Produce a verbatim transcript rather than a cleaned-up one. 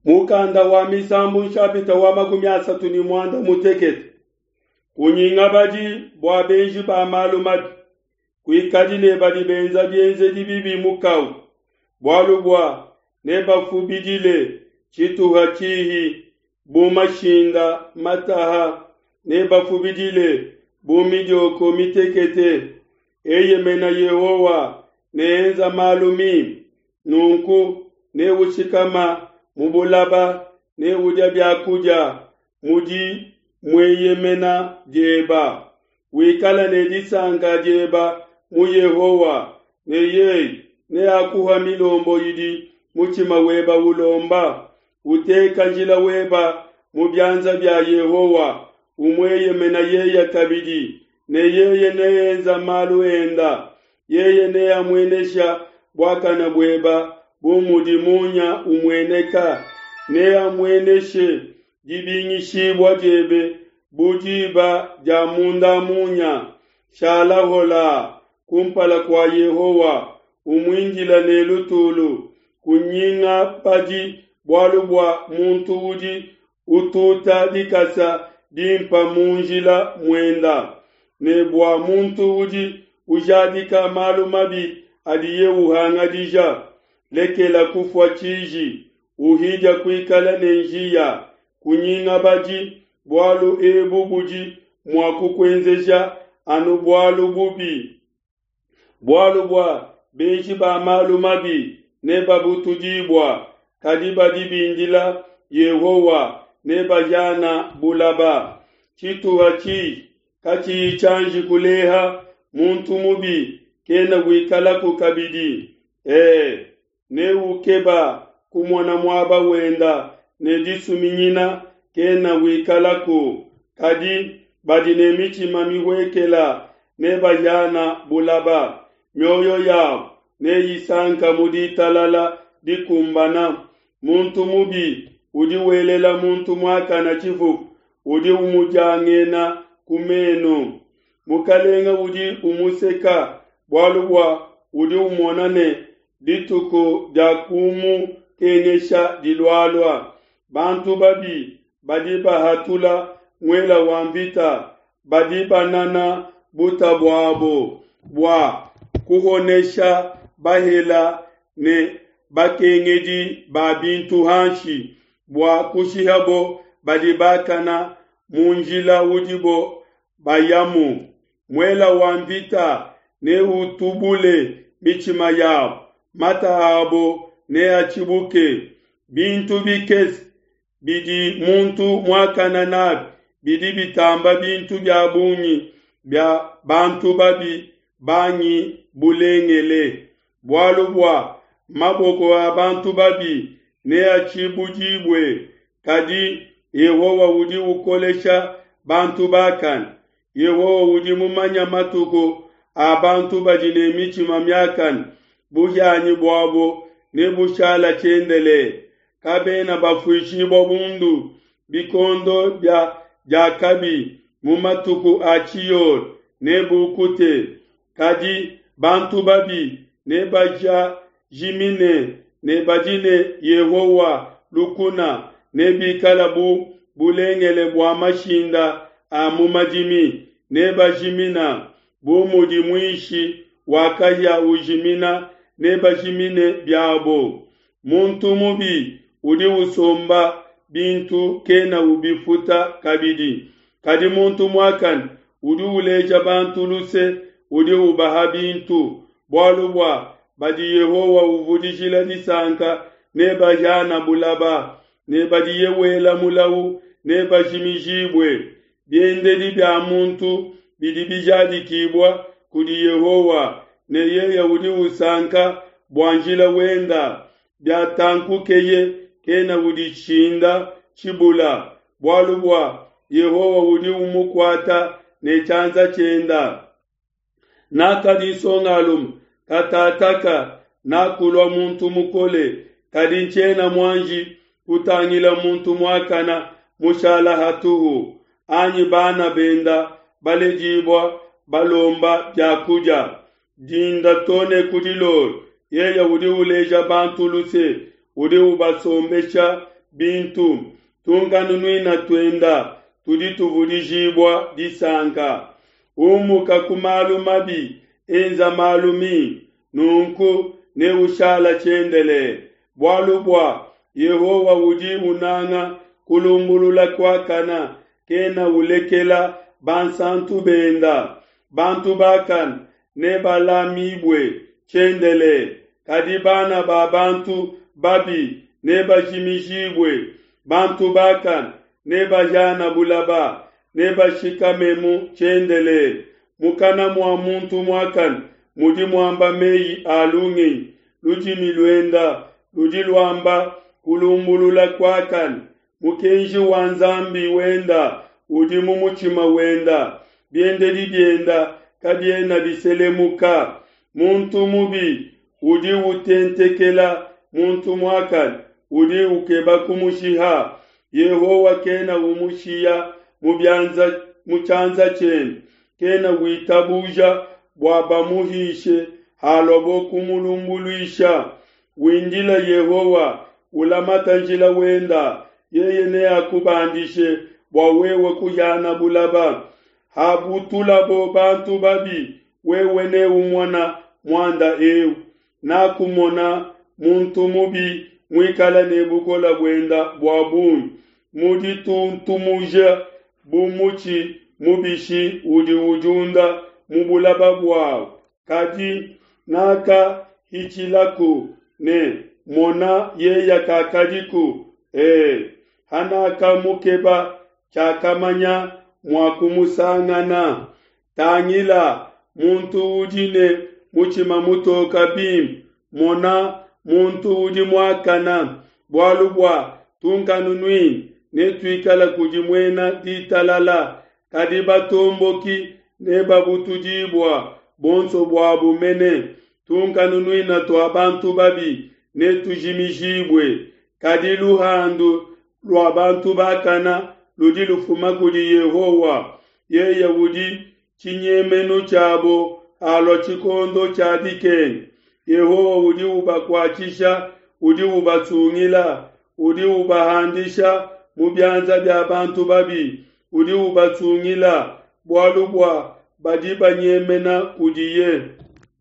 Mukanda wa Misambu nshapita wa makumi asatu ne muanda mutekete. Kunyingabadi bua benji ba malu mabi, kuikadi ne badi benza bienzedi bibi mukawu, bualu bua nebafubidile tshituha tshihi bu mashinda mataha, nebafubidile bu midioko mitekete. Eyemena Yehowa ne enza malu mimpe, nunku neushikama mu bulaba, neudia bia kudia mu dimueyemena dieba. Wikala ne disanka dieba mu Yehowa, ne yeye neakuha milombo idi mutshima weba ulomba. Uteka njila weba mu bianza bia Yehowa, umueyemena yeye kabidi, ne yeye neenza malu enda. Yeye neamuenesha buakana bueba bu mudi munya umueneka, neamueneshe dibingishibua diebe bu diba dia munda munya. Shala hola kumpala kua Yehowa, umuindila ne lutulu. Kunyingabadi bualu bua muntu udi ututa dikasa dimpa mu njila muenda, ne bua muntu udi ujadika malu mabi adiye uhangadija. Lekela kufua tshiji, uhidia kuikala ne njiya. Kunyingabadi, bualu ebu budi mua kukuenzesha anu bualu bubi. Bualu bua benji ba malu mabi nebabutudibua, kadi badi bindila Yehowa nebahiana bulaba. Tshituha tshihi katshiyi tshianji kuleha, muntu mubi kena wikalaku kabidi. E, neukeba kumona muaba wenda ne disuminyina kena wikalaku. Kadi badi ne mitshima mihuekela nebahiana bulaba. Mioyo yabo neyisanka mu ditalala dikumbana. Muntu mubi udi welela muntu muakana tshifufu, udi umudiangena ku menu. Mukalenga udi umuseka bualu bua udi umona ne dituku dia kumukengesha dilualua. Bantu babi badi bahatula muela wa mvita, badi banana buta buabo bua kuhonesha bahela ne bakengedi ba bintu hanshi, bua kushihabo badi bakana mu njila udibo bayamu. Muela wa mvita neutubule mitshima yabo, mata abo neatshibuke. Bintu bikese bidi muntu muakana nabi bidi bitamba bintu bia bungi bia bantu babi bangi bulengele. Bualu bua maboko a bantu babi neatshibudibue, kadi Yehowa udi ukolesha bantu bakane. Yehowa udi mumanya matuku a bantu badi ne mitshima miakane, buhianyi buabo nebushala tshiendelele. Kabena bafuishibua bundu bikondo bia diakabi, mu matuku a tshiyola nebukute. Kadi bantu babi nebajimine, ne badi ne Yehowa lukuna nebikala bu bulengele bua mashinda a mu madimi, nebajimina bu mudi muishi wa kahia ujimina, nebajimine biabo. Muntu mubi udi usomba bintu kena ubifuta kabidi, kadi muntu muakane udi uleja bantu luse udi ubaha bintu. Bualu bua badi Yehowa uvudijila disanka nebahiana bulaba, ne badiye wela mulawu nebajimijibue. Biendedi bia muntu bidi bijadikibua kudi Yehowa, ne yeye udi usanka bua njila wenda. Biatankukeye kena udishinda tshibula, bualu bua Yehowa udi umukuata ne tshianza tshienda. Nakadi nsongalume katataka nakulua muntu mukole, kadi ntshiena muanji kutangila muntu muakana mushala hatuhu, anyi bana benda baledibua balomba bia kudia. Dinda to ne ku dilolo yeye udi uleja bantu luse, udi ubasombesha bintu. Tunkanunuina tuenda tudi tuvudijibua disanka. Umuka ku malu mabi, enza malu mimpe, nunku neushala tshiendelele. Bualu bua Yehowa udi unanga kulumbulula kuakana, kena ulekela bansantu benda. Bantu bakane nebalamibue tshiendelele, kadi bana ba bantu babi nebajimijibue. Bantu bakane nebahiana bulaba, nebashikamemu tshiendelele. Mukana mua muntu muakane mudi muamba meyi a lungenyi, ludimi luenda ludi luamba kulumbulula kuakane. Mukenji wa Nzambi wenda udi mu mutshima wenda, biendedi bienda kabiena biselemuka. Muntu mubi udi utentekela muntu muakane, udi ukeba kumushiha. Yehowa kena umushiya mu bianza mu tshianza tshiende, kena witabuja bua bamuhishe haluabo kumulumbuluisha. Windile Yehowa, ulamata njila wenda, yeye neakubandishe bua wewe kuhiana bulaba. Habutulabo bantu babi, wewe neumona muanda eu. Nakumona muntu mubi muikala ne bukole buenda bua bungi, mudituntumuja bu mutshi mubishi udi udiunda mu bulaba buawu. Kadi nakahitshilaku ne mona, yeya kakadiku, e, hanakamukeba, tshiakamanya mua kumusangana. Tangila, muntu udi ne mutshima mutoka bimpe, mona, muntu udi muakana. Bualu bua tunkanunuina netuikala kudi muena ditalala, kadi batomboki nebabutudibua bonso buabo mene. Tunkanunuina tua bantu babi netujimijibue, kadi luhandu lua bantu bakana ludi lufuma kudi Yehowa. Yeye udi tshinyemenu tshiabo halua tshikondo tshia dikenga. Yehowa udi ubakuatshisha, udi ubasungila, udi ubahandisha mu bianza bia bantu babi, udi ubasungila, bualu bua badi banyemena kudiye.